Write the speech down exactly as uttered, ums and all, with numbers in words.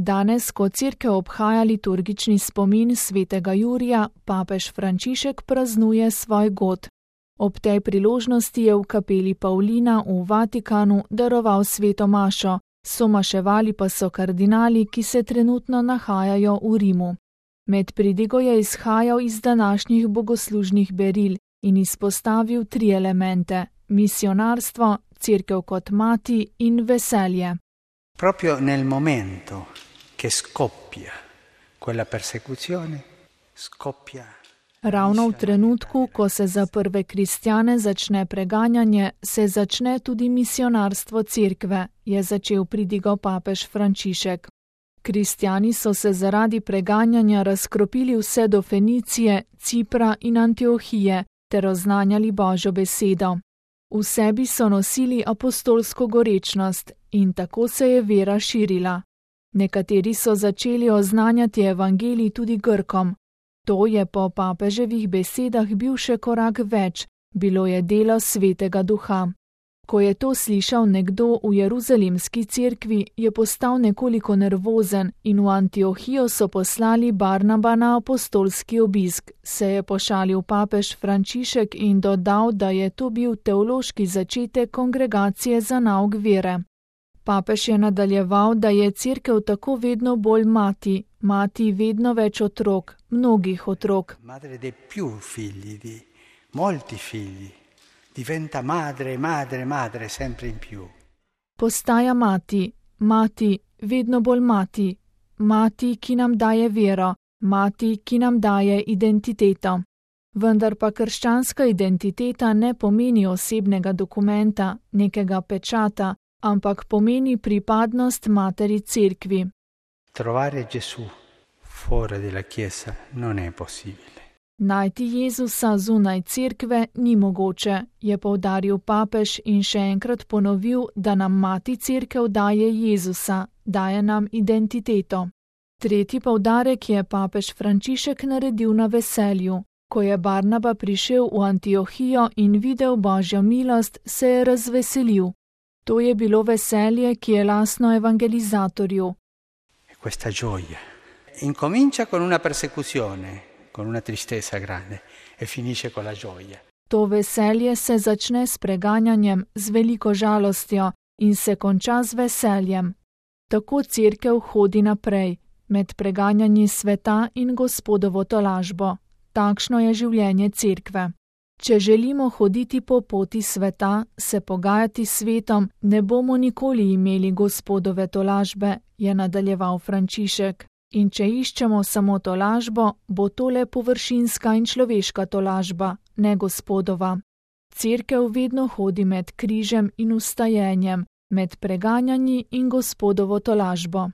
Danes, ko cerkev obhaja liturgični spomin svetega Jurija, papež Frančišek praznuje svoj god. Ob tej priložnosti je v kapeli Pavlina v Vatikanu daroval sveto mašo, somaševali pa so kardinali, ki se trenutno nahajajo v Rimu. Med pridigo je izhajal iz današnjih bogoslužnih beril in izpostavil tri elemente: misionarstvo, cerkev kot mati in veselje. Proprio nel momento che scoppia quella persecuzione, scoppia. Ravno v trenutku, ko se za prve kristjane začne preganjanje, se začne tudi misionarstvo cerkve, je začel pridigo papež Frančišek. Kristjani so se zaradi preganjanja razkropili vse do Fenicije, Cipra in Antiohije ter oznanjali Božjo besedo. V sebi so nosili apostolsko gorečnost in tako se je vera širila. Nekateri so začeli oznanjati evangelij tudi Grkom. To je po papeževih besedah bil še korak več, bilo je delo Svetega Duha. Ko je to slišal nekdo v jeruzalemski cerkvi, je postal nekoliko nervozen in v Antiohijo so poslali Barnaba na apostolski obisk, se je pošalil papež Frančišek in dodal, da je to bil teološki začetek kongregacije za nauk vere. Papež je nadaljeval, da je cerkev tako vedno bolj mati, mati vedno več otrok, mnogih otrok. Madre de più figli, di molti figli. Diventa madre, madre, madre, sempre in più. Postaja mati, mati, vedno bolj mati, mati, ki nam daje vero, mati, ki nam daje identiteto. Vendar pa krščanska identiteta ne pomeni osebnega dokumenta, nekega pečata, ampak pomeni pripadnost materi cerkvi. Trovare Gesù fuori della Chiesa non è possibile. Najti Jezusa zunaj cerkve ni mogoče, je poudaril papež in še enkrat ponovil, da nam mati cerkev daje Jezusa, daje nam identiteto. Tretji poudarek je papež Frančišek naredil na veselju. Ko je Barnaba prišel v Antiohijo in videl Božjo milost, se je razveselil. To je bilo veselje, ki je lastno evangelizatorju. Questa gioia incomincia con una persecuzione, con una tristezza grande e finisce con la gioia. To veselje se začne s preganjanjem, z veliko žalostjo in se konča z veseljem. Tako cerkev hodi naprej, med preganjanji sveta in Gospodovo tolažbo. Takšno je življenje cerkve. Če želimo hoditi po poti sveta, se pogajati s svetom, ne bomo nikoli imeli Gospodove tolažbe, je nadaljeval Frančišek. In če iščemo samo tolažbo, bo to le površinska in človeška tolažba, ne Gospodova. Cerkev vedno hodi med križem in vstajenjem, med preganjanji in Gospodovo tolažbo.